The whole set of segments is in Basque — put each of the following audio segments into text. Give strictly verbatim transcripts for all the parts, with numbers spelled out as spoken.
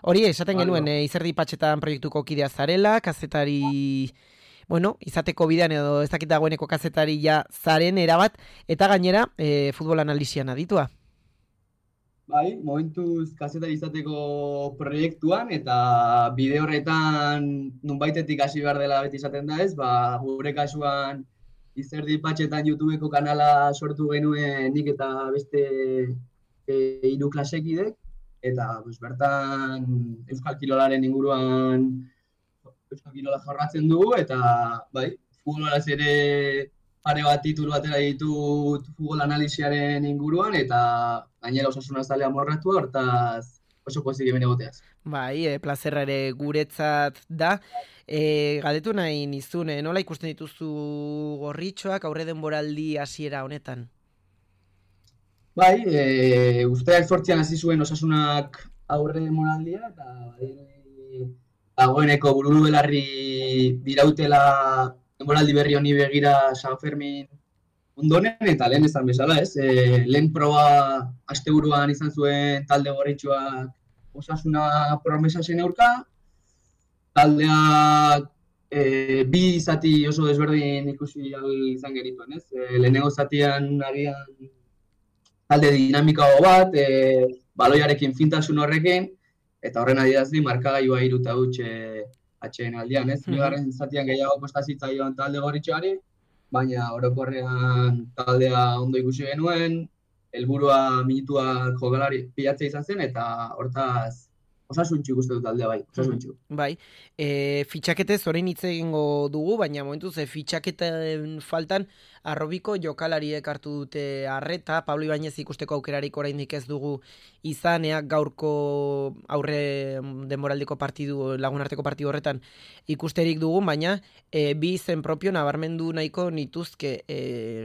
Hori, esaten Bai, genuen, bai. e, Izerdi Patxetan proiektuko kidea zarela, kazetari, bueno, izateko bidean edo ez dakit dagoeneko kazetari ja zaren erabat, eta gainera, e, futbol analisian aditua. Bai, momentuz kazetari izateko proiektuan eta bide horretan nunbaitetik hasi behar dela beti izaten da ez, ba, gure kasuan Izerdi Patxetan YouTubeko kanala sortu genuen nik eta beste e, hiru klasekidek, eta pues, bertan Euskal Kirolaren inguruan Euskal Kirola jorratzen dugu, eta bai, futbolaz ere pare bat titulu atera ditut futbol analisiaren inguruan, eta gainera Osasuna zalea morratua, hortaz oso pozik hemen egoteaz. Bai, e, plazerra ere guretzat da. E, galdetu nahi nizun, e, nola ikusten dituzu gorritxoak aurre denboraldi hasiera honetan? Bai, e, usteak zortzian hasi zuen Osasunak aurre moraldia, eta badirudi dagoeneko bururu belarri dirautela denboraldi berri honi begira San Fermin ondoren, eta lehen esan bezala, ez? E, lehen proba asteburuan izan zuen talde gorritxoak Osasuna promesa zen aurka, taldeak e, bi zati oso desberdin ikusi ahal izan genituen, ez? E, lehenengo zatian agian talde dinamikago bat, e, baloiarekin fintasun horrekin, eta horren adierazli markagailua hiru eta huts e, atxeen aldian, ez? Bigarren zatian gehiago kosta zitzaion talde gorritxoari, baina orokorrean taldea ondo ikusi genuen, helburua minutuak jokalari pilatzea izan zen, eta hortaz osasuntxu ikuste dut taldea bai, osasuntxu. Bai, e, fitxaketez orain hitz egingo dugu, baina momentuz e, fitxaketen faltan arrobiko jokalariek hartu dute arreta, Pablo Ibañez ikusteko aukerarik oraindik ez dugu izaneak gaurko aurre denboraldiko partidu, lagunarteko partidu horretan ikusterik dugu, baina e, bi izen propio nabarmendu nahiko nituzke, e,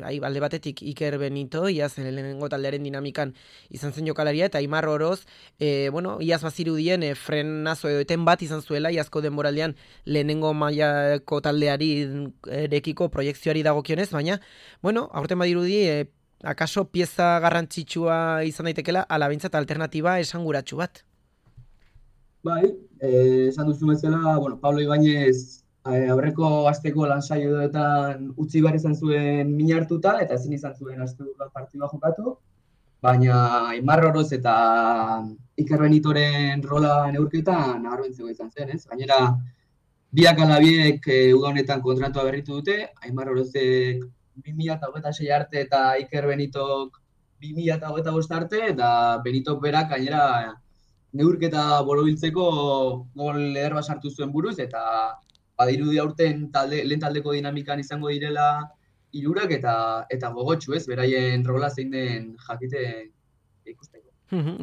ai, alde batetik Iker Benito, iaz lehenengo taldearen dinamikan izan zen jokalaria, eta Aimar Oroz, e, bueno, iaz bazirudien e, frenazo edo eten bat izan zuela, iazko denboraldean lehenengo mailako taldeari erekiko proiekzioari dagokionez, baina, bueno, aurten badirudi, e, akaso pieza garrantzitsua izan daitekela, ala behintzat alternatiba esanguratsu bat. Bai, eh, esan duzu bezala, bueno, Pablo Ibañez eh, aurreko asteko lansaioetan utzi behar izan zuen min hartuta, eta ezin izan zuen asteburuan partidua jokatu, baina Aimar Oroz eta Iker Benitoren rola neurketan nabarmentzeko izan zen, ez? Gainera, biak ala biek e, uda honetan kontratua berritu dute, Aimar Orozek bi mila hogeita sei arte eta Iker Benitok bi mila hogeita bost arte, eta Benitok berak gainera neurketa borobiltzeko gol eder bat sartu zuen buruz, eta badirudi aurten talde, lehen taldeko dinamikan izango direla hirurak eta eta gogotsu, ez, beraien rola zein den jakite ikusteko.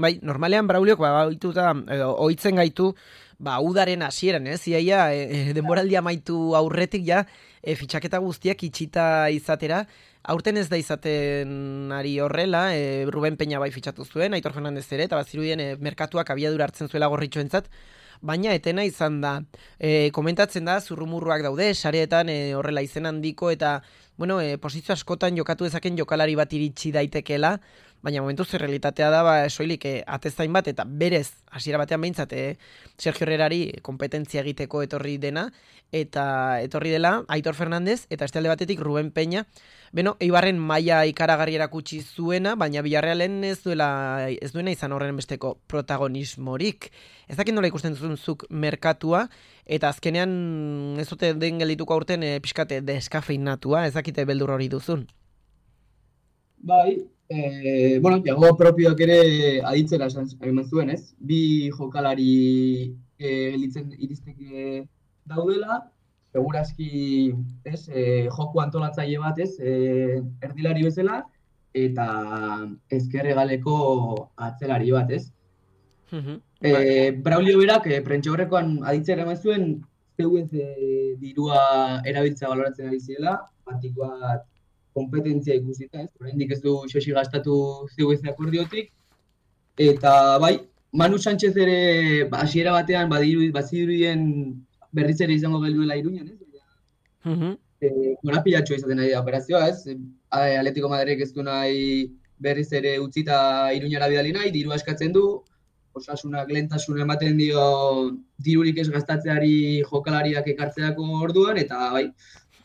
Bai, normalean Brauliok ba ohituta edo ohitzen gaitu ba udaren hasieran, ez? Iaia e, denboraldia amaitu aurretik ja e, fitxaketa guztiak itxita izatera. Aurten ez da izaten ari horrela, e, Ruben Peña bai fitxatu zuen, Aitor Fernandez ere, eta bazirudien e, merkatuak abiadura hartzen zuela gorritxoentzat, baina etena izan da. E, komentatzen da, zurrumurruak daude, sareetan e, horrela izen handiko, eta bueno, e, posizio askotan jokatu dezaken jokalari bat iritsi daitekeela, baina momentuz realitatea da, ba, soilik e, atezain bat, eta berez, hasiera batean behintzat, e, Sergio Herrerari kompetentzia egiteko etorri dena, eta etorri dela Aitor Fernandez, eta este alde batetik Ruben Peña, beno, Eibarren maila ikaragarri erakutsi zuena, baina Villarrealen ez duela ez duena izan horren besteko protagonismorik. Ez dakit nola ikusten duzunzuk merkatua, eta azkenean ez dute den geldituko aurten e, pixkate deskafeinatua, ez dakite beldur hori duzun. Bai, eh, bueno, jago propioak ere aditzera eman zuen, ez? Bi jokalari eh, litzen iristeke daudela, segurazki, ez, eh, joku antolatzaile bat, ez, eh, erdilari bezala, eta ezker hegaleko atzelari bat, ez? Mhm, Eh, bai. Braulio berak, eh, prentxo horrekoan aditzera eman zuen, zeuez eh, dirua erabiltza baloratzen ari zirela, batik bat kompetentzia ikusita, ez? Oraindik ez du xoxi gastatu zeuez akordiotik, eta bai, Manu Sánchez ere ba, hasiera batean badiru bazirudien berriz ere izango geluela Iruñan, ez? Mhm. Eh, korapilatxoa izaten ari da operazioa, ez? A- Atletico Madridek ez du nahi berriz ere utzita Iruñara bidali nahi, dirua eskatzen du, osasunak lehentasuna ematen dio dirurik ez gastatzeari jokalariak ekartzeako orduan, eta bai,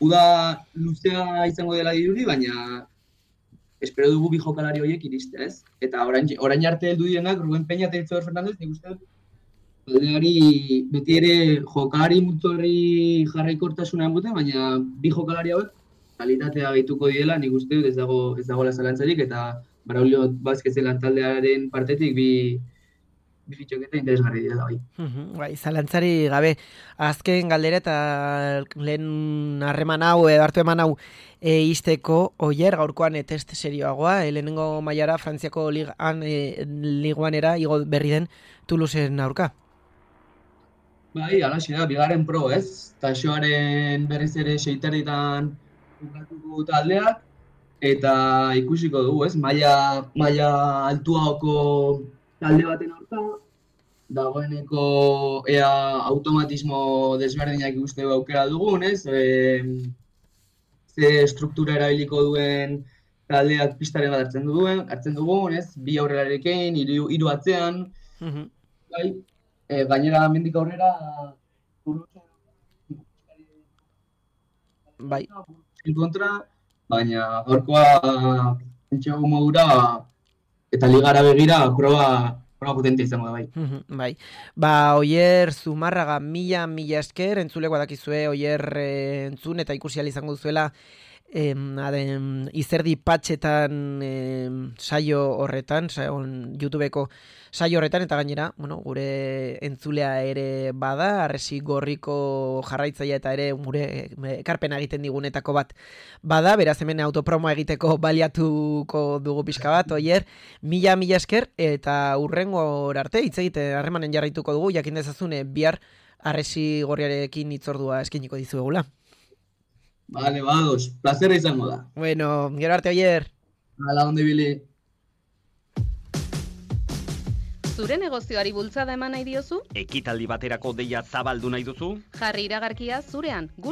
uda luzea izango dela diruri, baina espero dugu bi jokalari horiek iristea, ez? Eta orain, orain arte heldu direnak, Ruben Peña eta Itziar Fernandez, nik uste dut, taldeari beti ere jokalari multzorri jarraikortasuna ematen, baina bi jokalari hauek kalitatea gehituko diela, nik uste dut ez dago ez dagoela zalantzarik, eta Braulio Vázquezen taldearen partetik bi bi fitxaketa interesgarri dira bai. Mhm, bai, zalantzari gabe azken galdera eta lehen harreman hau edo hartu eman hau e, izteko Oier gaurkoan e, test serioagoa, e, lehenengo mailara Frantziako ligan e, liguanera igo berri den Toulouseen aurka. Bai, alaxe da, bigarren pro, ez? Taxoaren berriz ere seiterritan jokatuko taldeak, eta ikusiko dugu, ez? Maila, maila altuagoko talde baten aurka, dagoeneko ea automatismo desberdinak ikusteko aukera dugun, ez? E, ze struktura erabiliko duen taldeak pistaren bat hartzen duen, hartzen dugun, ez? Bi aurrelarekin, hiru hiru atzean, Mhm. bai, e, gainera mendik aurrera Bai. kontra, baina gaurkoa pentsago modura eta ligara begira proba proba potente izango da bai. Mhm, bai. Ba, Oier Zumarraga mila mila esker, entzuleko dakizue Oier e, entzun eta ikusi ahal izango duzuela em, aden, izerdi patxetan em, saio horretan, sa, on, YouTubeko saio horretan, eta gainera, bueno, gure entzulea ere bada, Arresi Gorriko jarraitzailea eta ere gure ekarpena egiten digunetako bat bada, beraz hemen autopromoa egiteko baliatuko dugu pixka bat, Oier, mila mila esker, eta urrengo arte hitz egite harremanen jarraituko dugu, jakin dezazune bihar Arresi Gorriarekin hitzordua eskainiko dizuegula. Vale, bados, plazerra izango da. Bueno, gero arte, Oier. Hala, onde bile. Zure negozioari bultzada eman nahi diozu? Ekitaldi baterako deia zabaldu nahi duzu? Jarri iragarkia zurean, gure